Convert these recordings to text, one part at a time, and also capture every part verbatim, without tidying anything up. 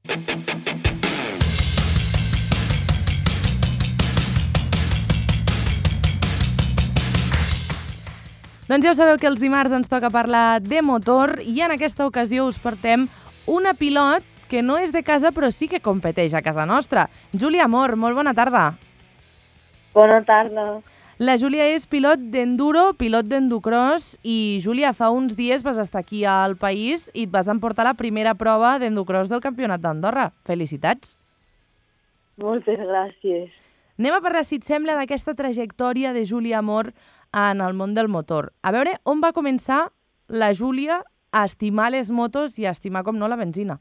Doncs ja ho sabeu que els dimarts ens toca parlar de motor i en aquesta ocasió us portem una pilot que no és de casa però sí que competeix a casa nostra. Júlia Amor, molt bona tarda. Bona tarda. La Júlia és pilot d'enduro, pilot d'endocross i, Júlia, fa uns dies vas estar aquí al país i et vas emportar la primera prova d'endocross del Campionat d'Andorra. Felicitats. Moltes gràcies. Anem a parlar, si et sembla, d'aquesta trajectòria de Júlia Amor en el món del motor. A veure, on va començar la Júlia a estimar les motos i a estimar, com no, la benzina?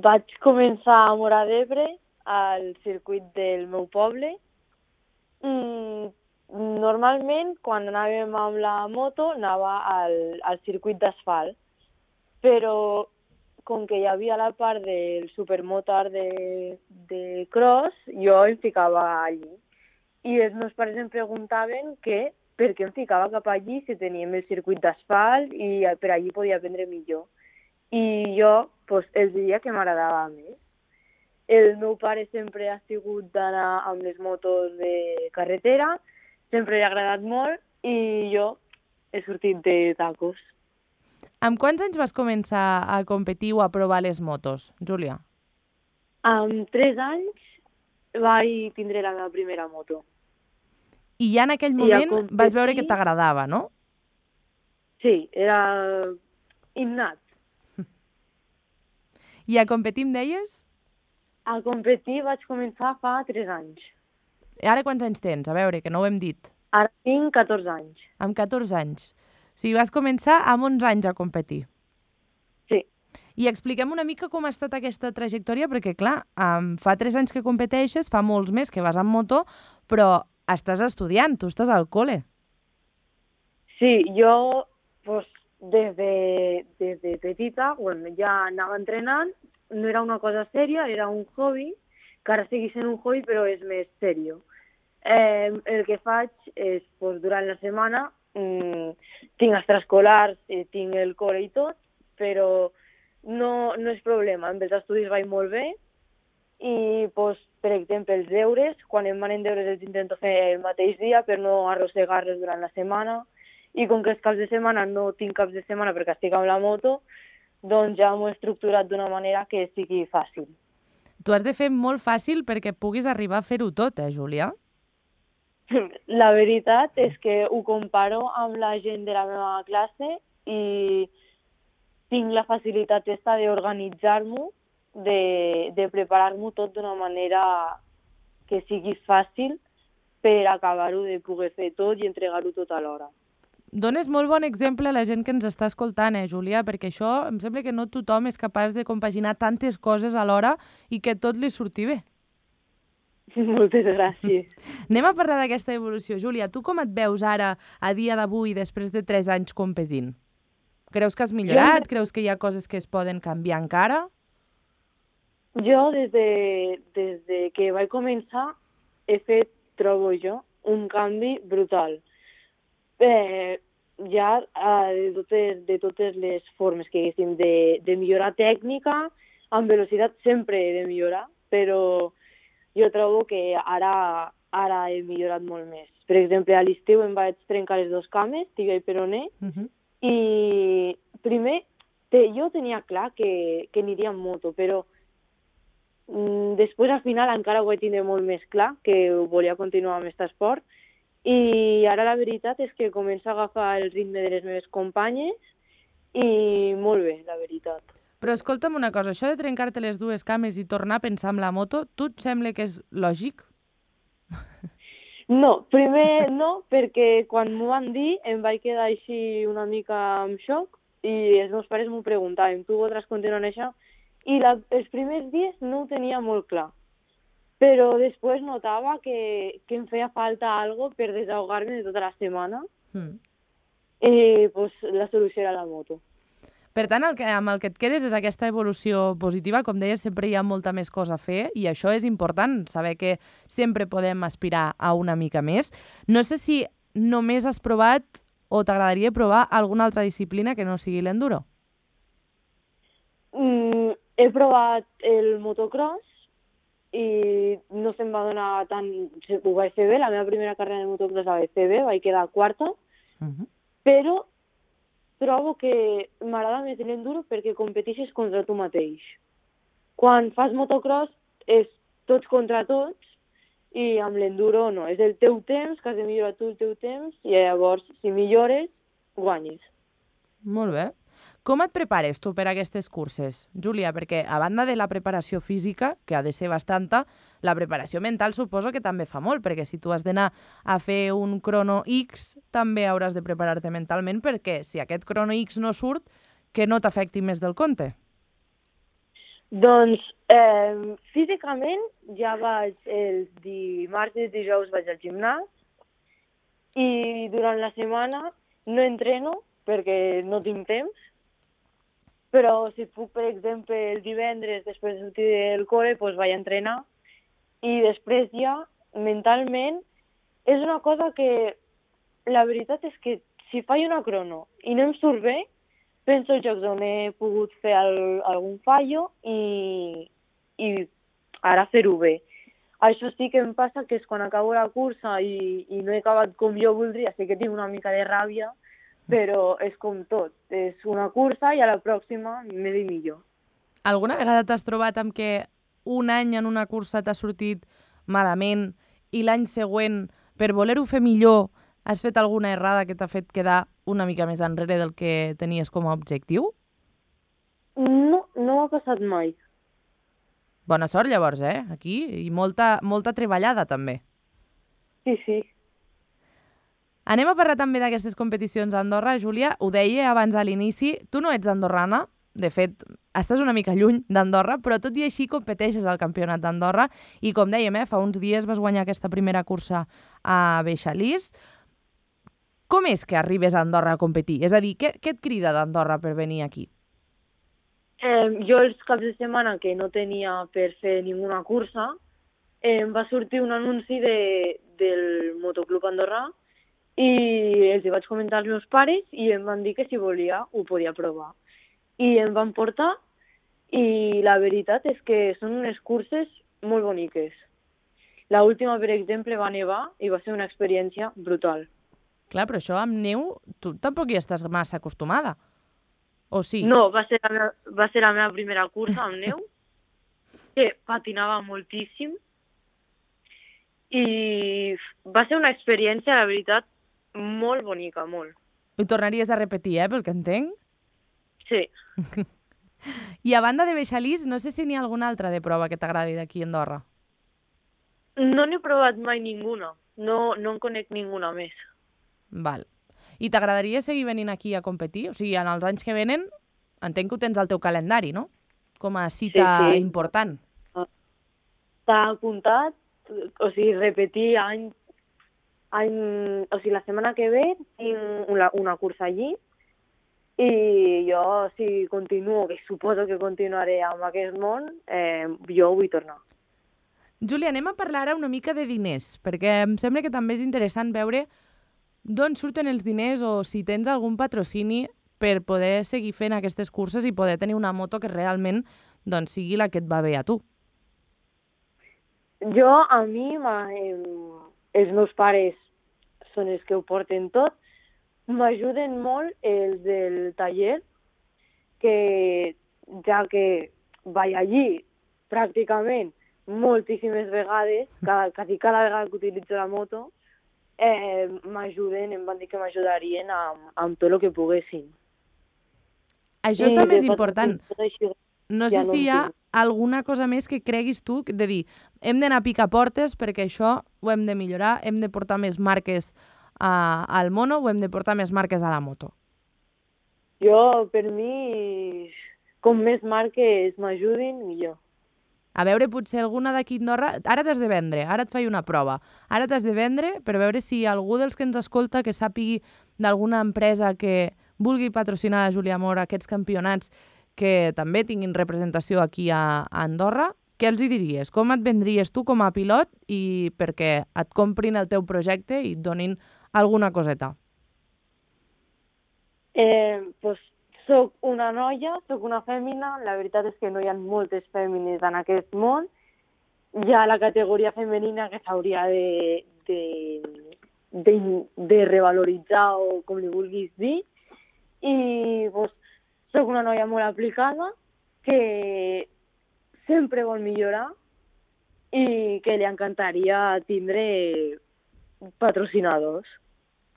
Vaig començar a Móra d'Ebre, al circuit del meu poble. Mm, normalment, quan anàvem amb la moto, anava al, al circuit d'asfalt. Però, com que hi havia la part del supermotor de, de cross, jo em ficava allí. I els meus pares em preguntaven que per què em ficava cap allí si teníem el circuit d'asfalt i per allí podia aprendre millor. I jo pues, els diria que m'agradava més. El meu pare sempre ha sigut d'anar amb les motos de carretera, sempre li ha agradat molt i jo he sortit de tacos. Amb quants anys vas començar a competir o a provar les motos, Júlia? Amb tres anys vaig tindre la meva primera moto. I ja en aquell moment competir... vas veure que t'agradava, no? Sí, era innat. I a competir em deies? A competir vaig començar fa tres anys. I ara quants anys tens? A veure, que no ho hem dit. Ara tinc catorze anys. Amb catorze anys. O sigui, vas començar amb onze anys a competir. Sí. I expliquem una mica com ha estat aquesta trajectòria, perquè, clar, um, fa tres anys que competeixes, fa molts més que vas amb moto, però estàs estudiant, tu estàs al col·le. Sí, jo pues, des, de, des de petita bueno, ja anava entrenant, no era una cosa sèria, era un hobby, que ara segueix sent un hobby però és més sèrio. Eh, el que faig és, pues, durant la setmana, mm, tinc extraescolars, eh, tinc el col·le i tot, però no, no és problema, amb els estudis vaig molt bé i, pues, per exemple, els deures, quan em manen deures els intento fer el mateix dia per no arrossegar-los durant la setmana i com que els caps de setmana no tinc caps de setmana perquè estic amb la moto, doncs ja m'ho he estructurat d'una manera que sigui fàcil. Tu has de fer molt fàcil perquè puguis arribar a fer-ho tot, eh, Júlia? La veritat és que ho comparo amb la gent de la meva classe i tinc la facilitat esta d'organitzar-m'ho, de, de preparar-m'ho tot d'una manera que sigui fàcil per acabar-ho de poder fer tot i entregar-ho tot alhora. Dones molt bon exemple a la gent que ens està escoltant, eh, Júlia? Perquè això em sembla que no tothom és capaç de compaginar tantes coses alhora i que tot li surti bé. Moltes gràcies. Anem a parlar d'aquesta evolució. Júlia, tu com et veus ara, a dia d'avui, després de tres anys competint? Creus que has millorat? Jo... Creus que hi ha coses que es poden canviar encara? Jo, des de, des de que vaig començar, he fet, trobo jo, un canvi brutal. Eh, ja eh, de, totes, de totes les formes que haguéssim de, de millorar tècnica, amb velocitat sempre he de millorar, però jo trobo que ara, ara he millorat molt més. Per exemple, a l'estiu em vaig trencar les dues cames, tibia i peroné, uh-huh. I primer te, jo tenia clar que, que aniria en moto, però mm, després al final encara ho vaig tindre molt més clar, que volia continuar amb aquest esport, i ara la veritat és que començo a agafar el ritme de les meves companyes i molt bé, la veritat. Però escolta'm una cosa, això de trencar-te les dues cames i tornar a pensar en la moto, tu et sembla que és lògic? No, primer no, perquè quan m'ho van dir em vaig quedar així una mica en xoc i els meus pares m'ho preguntaven, tu voldràs continuar en això? I la, els primers dies no ho tenia molt clar. Però després notava que, que em feia falta algo per desahogar-me de tota la setmana mm. i pues, la solució era la moto. Per tant, el que, amb el que et quedes és aquesta evolució positiva. Com deies, sempre hi ha molta més cosa a fer i això és important, saber que sempre podem aspirar a una mica més. No sé si només has provat o t'agradaria provar alguna altra disciplina que no sigui l'enduro. Mm, he provat el motocross i no se'm va donar tant... Ho vaig fer bé, la meva primera carrera de motocross la vaig fer bé, vaig quedar quarta, Uh -huh. però trobo que m'agrada més l'enduro perquè competeixes contra tu mateix. Quan fas motocross és tots contra tots i amb l'enduro no, és el teu temps, que has de millorar tu el teu temps i llavors si millores, guanyes. Molt bé. Com et prepares tu per a aquestes curses, Júlia? Perquè a banda de la preparació física, que ha de ser bastanta, la preparació mental suposo que també fa molt, perquè si tu has d'anar a fer un crono X, també hauràs de preparar-te mentalment, perquè si aquest crono X no surt, que no t'afecti més del compte. Doncs eh, físicament ja vaig els dimarts i dijous vaig al gimnàs i durant la setmana no entreno perquè no tinc temps, però si puc, per exemple, el divendres després de sortir del col·le, doncs vaig a entrenar i després ja, mentalment, és una cosa que la veritat és que si faig una crono i no em surt bé, penso els jocs on he pogut fer el, algun fallo i, i ara fer-ho bé. Això sí que em passa que és quan acabo la cursa i, i no he acabat com jo voldria, sé que tinc una mica de ràbia, però és com tot. És una cursa i a la pròxima m'he de millor. Alguna vegada t'has trobat amb que un any en una cursa t'ha sortit malament i l'any següent, per voler-ho fer millor, has fet alguna errada que t'ha fet quedar una mica més enrere del que tenies com a objectiu? No, no m'ha passat mai. Bona sort, llavors, eh? Aquí. I molta, molta treballada, també. Sí, sí. Anem a parlar també d'aquestes competicions a Andorra. Júlia, ho deia abans a l'inici, tu no ets andorrana, de fet, estàs una mica lluny d'Andorra, però tot i així competeixes al Campionat d'Andorra i, com dèiem, eh, fa uns dies vas guanyar aquesta primera cursa a Beixalís. Com és que arribes a Andorra a competir? És a dir, què, què et crida d'Andorra per venir aquí? Eh, jo els caps de setmana que no tenia per fer ninguna cursa, eh, em va sortir un anunci de, del Motoclub Andorrà i els hi vaig comentar als meus pares i em van dir que si volia ho podia provar. I em van portar i la veritat és que són unes curses molt boniques. La última, per exemple, va nevar i va ser una experiència brutal. Clar, però això amb neu, tu tampoc hi estàs massa acostumada. O sí? No, va ser la meva, va ser la meva primera cursa amb neu, que patinava moltíssim i va ser una experiència, la veritat, molt bonica, molt. Ho tornaries a repetir, eh, pel que entenc? Sí. I a banda de Beixalís, no sé si n'hi ha alguna altra de prova que t'agradi d'aquí a Andorra. No n'he provat mai ninguna. No, no en conec ninguna més. Val. I t'agradaria seguir venint aquí a competir? O sigui, en els anys que venen, entenc que ho tens al teu calendari, no? Com a cita sí, sí. important. Està apuntat, o sigui, repetir any, any... O sigui, la setmana que ve tinc una, una cursa allí i jo, si continuo, que suposo que continuaré amb aquest món, eh, jo vull tornar. Júlia, anem a parlar ara una mica de diners, perquè em sembla que també és interessant veure d'on surten els diners o si tens algun patrocini per poder seguir fent aquestes curses i poder tenir una moto que realment doncs, sigui la que et va bé a tu. Jo, a mi, eh, els meus pares són els que ho porten tot. M'ajuden molt els del taller, que ja que vaig allí pràcticament moltíssimes vegades, cada, quasi cada vegada que utilitzo la moto, eh, m'ajuden, em van dir que m'ajudarien amb, amb tot el que poguessin. Això és també és important. Així, no ja sé no si hi ha entenc. alguna cosa més que creguis tu, de dir, hem d'anar a picar portes perquè això ho hem de millorar, hem de portar més marques a, al mono o hem de portar més marques a la moto. Jo, per mi, com més marques m'ajudin, millor. A veure, potser alguna d'aquí a Andorra... Ara t'has de vendre, ara et faig una prova. Ara t'has de vendre per veure si algú dels que ens escolta que sàpigui d'alguna empresa que vulgui patrocinar a Júlia Mora aquests campionats que també tinguin representació aquí a, a Andorra, què els hi diries? Com et vendries tu com a pilot i perquè et comprin el teu projecte i et donin alguna coseta? Eh, pues, soc una noia, soc una fèmina, la veritat és que no hi ha moltes fèmines en aquest món, hi ha la categoria femenina que s'hauria de, de, de, de revaloritzar o com li vulguis dir, i pues, soc una noia molt aplicada que sempre vol millorar i que li encantaria tindre patrocinadors.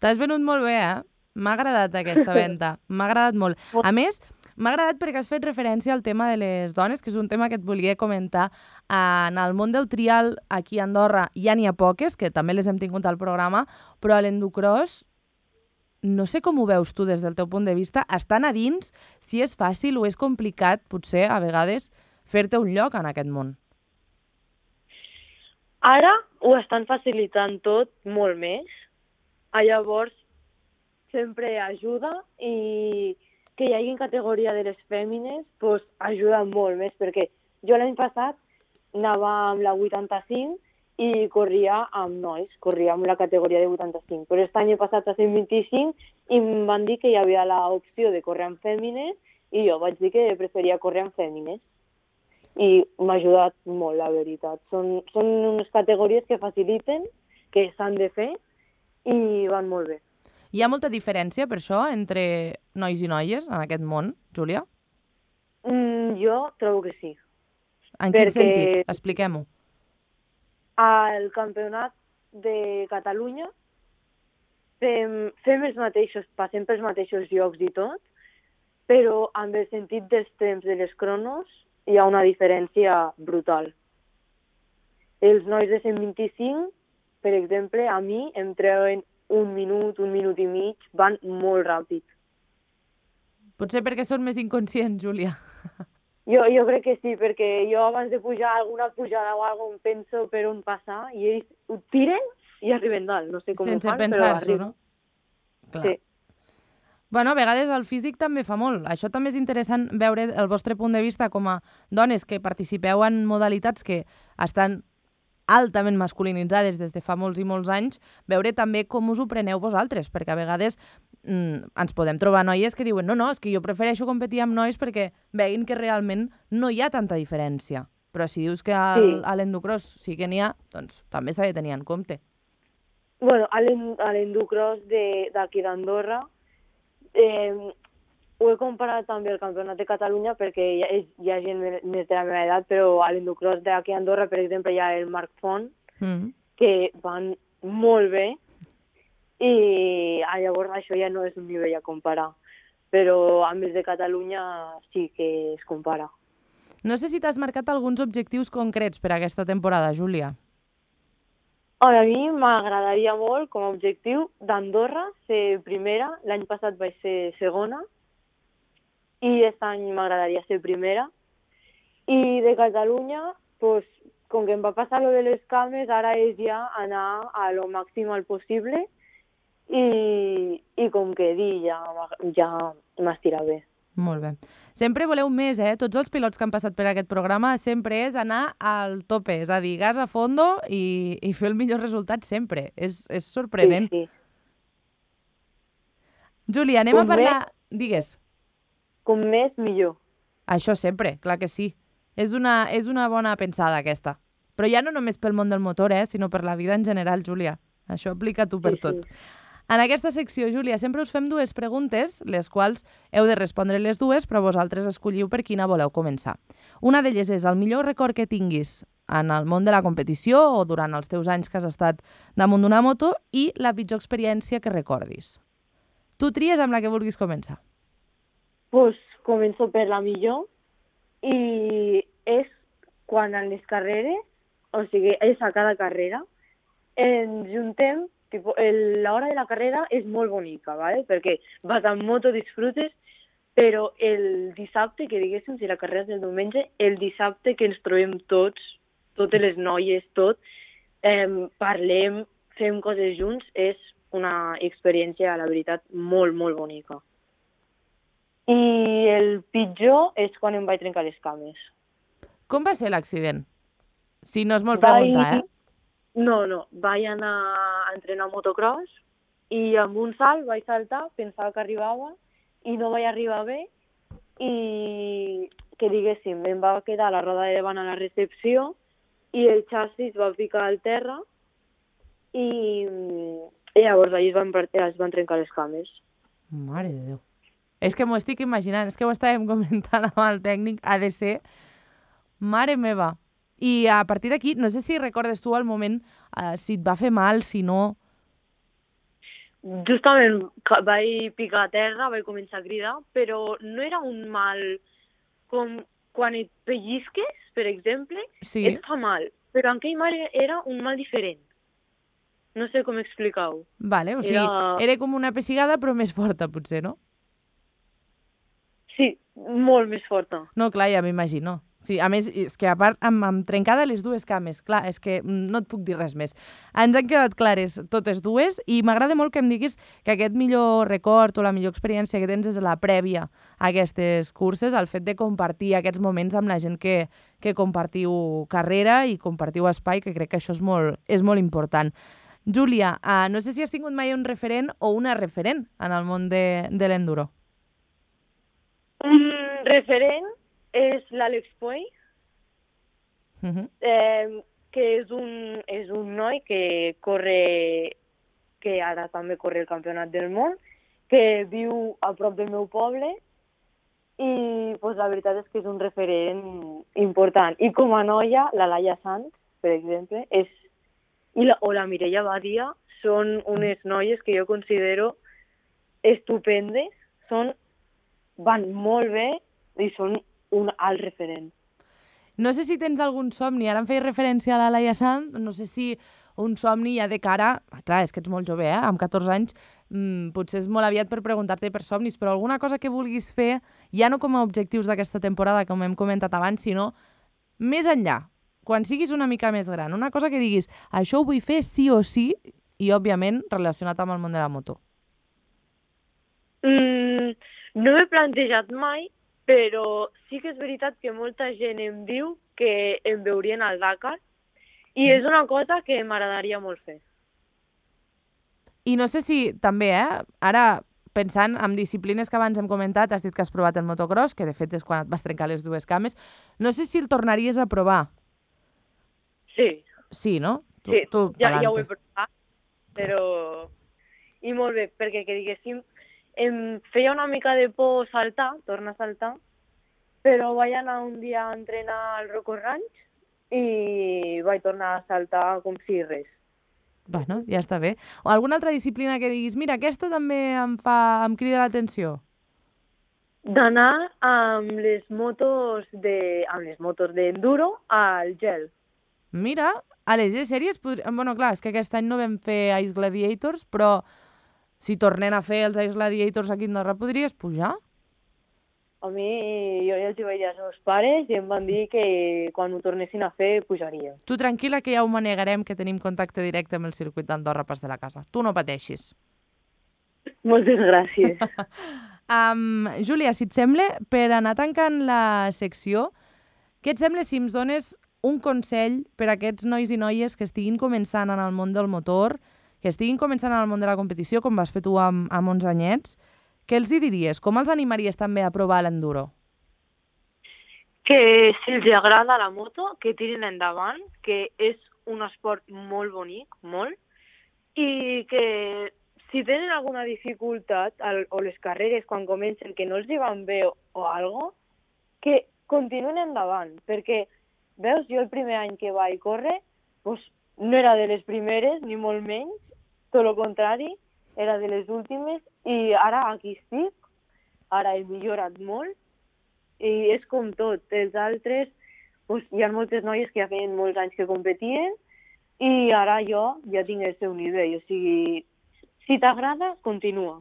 T'has venut molt bé, eh? M'ha agradat aquesta venda, m'ha agradat molt. A més, m'ha agradat perquè has fet referència al tema de les dones, que és un tema que et volia comentar. En el món del trial, aquí a Andorra, ja n'hi ha poques, que també les hem tingut al programa, però a l'endocross, no sé com ho veus tu des del teu punt de vista, estan a dins, si és fàcil o és complicat, potser, a vegades, fer-te un lloc en aquest món. Ara ho estan facilitant tot molt més. A llavors, sempre ajuda i que hi hagi categoria de les fèmines pues, ajuda molt més, perquè jo l'any passat anava amb la vuitanta-cinc i corria amb nois, corria amb la categoria de vuitanta-cinc, però aquest any he passat a cent vint-i-cinc i em van dir que hi havia l'opció de córrer amb fèmines i jo vaig dir que preferia córrer amb fèmines. I m'ha ajudat molt, la veritat. Són, són unes categories que faciliten, que s'han de fer i van molt bé. Hi ha molta diferència, per això, entre nois i noies en aquest món, Júlia? Mm, jo trobo que sí. En quin sentit? Expliquem-ho. Al campionat de Catalunya fem, fem els mateixos, passem pels mateixos llocs i tot, però amb el sentit dels temps de les cronos hi ha una diferència brutal. Els nois de cent vint-i-cinc, per exemple, a mi em treuen un minut, un minut i mig, van molt ràpid. Potser perquè són més inconscients, Júlia. Jo, jo crec que sí, perquè jo abans de pujar alguna pujada o alguna cosa penso per on passar i ells ho tiren i arriben dalt. No sé com Sense ho fan, però pensar-s'ho, no? Clar. Sí. Bueno, a vegades el físic també fa molt. Això també és interessant veure el vostre punt de vista com a dones que participeu en modalitats que estan altament masculinitzades des de fa molts i molts anys, veure també com us ho preneu vosaltres, perquè a vegades mm, ens podem trobar noies que diuen no, no, és que jo prefereixo competir amb nois perquè veguin que realment no hi ha tanta diferència. Però si dius que al, Sí. a l'endocross sí que n'hi ha, doncs també s'ha de tenir en compte. Bueno, a l'endocross d'aquí d'Andorra eh, ho he comparat també al Campionat de Catalunya perquè hi ha, hi ha gent més de la meva edat, però a l'endocross d'aquí a Andorra, per exemple, hi ha el Marc Font, Mm. que van molt bé, i ah, llavors això ja no és un nivell a comparar. Però amb els de Catalunya sí que es compara. No sé si t'has marcat alguns objectius concrets per a aquesta temporada, Júlia. A mi m'agradaria molt, com a objectiu, d'Andorra ser primera. L'any passat vaig ser segona, i aquest any m'agradaria ser primera. I de Catalunya, pues, com que em va passar lo de les cames, ara és ja anar a lo màxim al possible i, i com que dir, ja, ja m'estira bé. Molt bé. Sempre voleu més, eh? Tots els pilots que han passat per aquest programa sempre és anar al tope, és a dir, gas a fondo i, i fer el millor resultat sempre. És, és sorprenent. Sí, sí. Júlia, anem Com a parlar... més- Digues. Com més, millor. Això sempre, clar que sí. És una, és una bona pensada, aquesta. Però ja no només pel món del motor, eh? Sinó per la vida en general, Júlia. Això aplica tu per Sí, tot. sí. En aquesta secció, Júlia, sempre us fem dues preguntes, les quals heu de respondre les dues, però vosaltres escolliu per quina voleu començar. Una d'elles és el millor record que tinguis en el món de la competició o durant els teus anys que has estat damunt d'una moto i la pitjor experiència que recordis. Tu tries amb la que vulguis començar. Pues començo per la millor i és quan en les carreres, o sigui, és a cada carrera, ens juntem, tipo, el, l'hora de la carrera és molt bonica, ¿vale? Perquè vas amb moto, disfrutes, però el dissabte, que diguéssim, si la carrera és el diumenge, el dissabte que ens trobem tots, totes les noies, tot, eh, parlem, fem coses junts, és una experiència, la veritat, molt, molt bonica. I el pitjor és quan em vaig trencar les cames. Com va ser l'accident? Si no és molt Vaig- preguntar, eh? No, no, vaig anar a entrenar motocross i amb un salt vaig saltar, pensava que arribava i no vaig arribar bé i que diguéssim, em va quedar la roda de davant a la recepció i el xassis va picar al terra i, i llavors allà es van, es van trencar les cames. Mare de Déu. És que m'ho estic imaginant, és que ho estàvem comentant amb el tècnic, ha de ser... Mare meva. I a partir d'aquí, no sé si recordes tu el moment, eh, si et va fer mal, si no... Justament vaig picar a terra, vaig començar a cridar, però no era un mal com quan et pellizques, per exemple, Sí. et fa mal. Però en aquell mal era un mal diferent. No sé com explicar-ho. Vale, o sigui, Era... era com una pessigada però més forta, potser, no? Sí, molt més forta. No, clar, ja m'imagino. Sí, a més, és que a part, amb, amb trencada les dues cames, clar, és que no et puc dir res més. Ens han quedat clares totes dues i m'agrada molt que em diguis que aquest millor record o la millor experiència que tens és la prèvia a aquestes curses, el fet de compartir aquests moments amb la gent que, que compartiu carrera i compartiu espai, que crec que això és molt, és molt important. Júlia, uh, no sé si has tingut mai un referent o una referent en el món de, de l'enduro. Un referent és l'Àlex Puey, Uh -huh. eh, que és un, és un noi que corre, que ara també corre el campionat del món, que viu a prop del meu poble i pues, la veritat és que és un referent important. I com a noia, la Laia Sanz, per exemple, és, i la, o la Mireia Badia són unes noies que jo considero estupendes, són, van molt bé i són un alt referent. No sé si tens algun somni, ara em feia referència a la Laia Sanz, no sé si un somni ja de cara... Clar, és que ets molt jove, eh? Amb catorze anys, mmm, potser és molt aviat per preguntar-te per somnis, però alguna cosa que vulguis fer, ja no com a objectius d'aquesta temporada, com hem comentat abans, sinó més enllà, quan siguis una mica més gran, una cosa que diguis, això ho vull fer sí o sí, i òbviament relacionat amb el món de la moto. Mm, no m'he plantejat mai, però sí que és veritat que molta gent em diu que em veurien al Dakar i és una cosa que m'agradaria molt fer. I no sé si també, eh? Ara, pensant en disciplines que abans hem comentat, has dit que has provat el motocross, que de fet és quan et vas trencar les dues cames. No sé si el tornaries a provar. Sí. Sí, no? Tu, sí, tu, ja, ja ho he provat, però... I molt bé, perquè que diguéssim, em feia una mica de por saltar, tornar a saltar, però vaig anar un dia a entrenar al Rocco Ranch i vaig tornar a saltar com si res. Bueno, ja està bé. O alguna altra disciplina que diguis, mira, aquesta també em fa, em crida l'atenció? D'anar amb les motos de, amb les motos d'enduro al gel. Mira, a les G-Series, pod... bueno, clar, és que aquest any no vam fer Ice Gladiators, però si tornem a fer els Ice Gladiators aquí a Andorra, podries pujar? A mi, jo ja els hi vaig dir als meus pares i em van dir que quan ho tornessin a fer, pujaria. Tu tranquil·la, que ja ho manegarem, que tenim contacte directe amb el circuit d'Andorra pas de la casa. Tu no pateixis. Moltes gràcies. um, Júlia, si et sembla, per anar tancant la secció, què et sembla si em dones un consell per a aquests nois i noies que estiguin començant en el món del motor, que estiguin començant en el món de la competició, com vas fer tu amb, amb onze anyets? Què els hi diries? Com els animaries també a provar l'enduro? Que si els agrada la moto, que tirin endavant, que és un esport molt bonic, molt, i que si tenen alguna dificultat al, o les carreres quan comencen que no els hi van bé o, o algo, que continuïn endavant, perquè, veus, jo el primer any que vaig córrer, pues, no era de les primeres, ni molt menys, tot el contrari, era de les últimes, i ara aquí estic, ara he millorat molt, i és com tot, els altres, pues, hi ha moltes noies que ja feien molts anys que competien, i ara jo ja tinc el seu nivell, o sigui, si t'agrada, continua.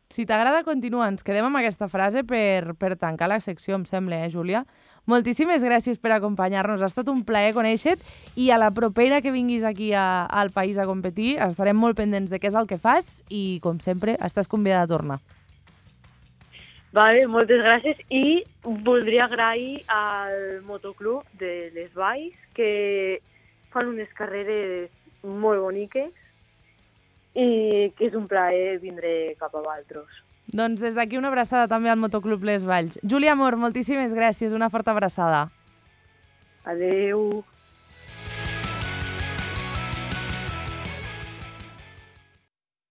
Si t'agrada, continua. Ens quedem amb aquesta frase per, per tancar la secció, em sembla, eh, Júlia? Moltíssimes gràcies per acompanyar-nos. Ha estat un plaer conèixer-te i a la propera que vinguis aquí a, al país a competir estarem molt pendents de què és el que fas i, com sempre, estàs convidada a tornar. Vale, moltes gràcies i voldria agrair al motoclub de Les Valls que fan unes carreres molt boniques i que és un plaer vindre cap a vosaltres. Doncs des d'aquí una abraçada també al Motoclub Les Valls. Júlia Amor, moltíssimes gràcies, una forta abraçada. Adeu.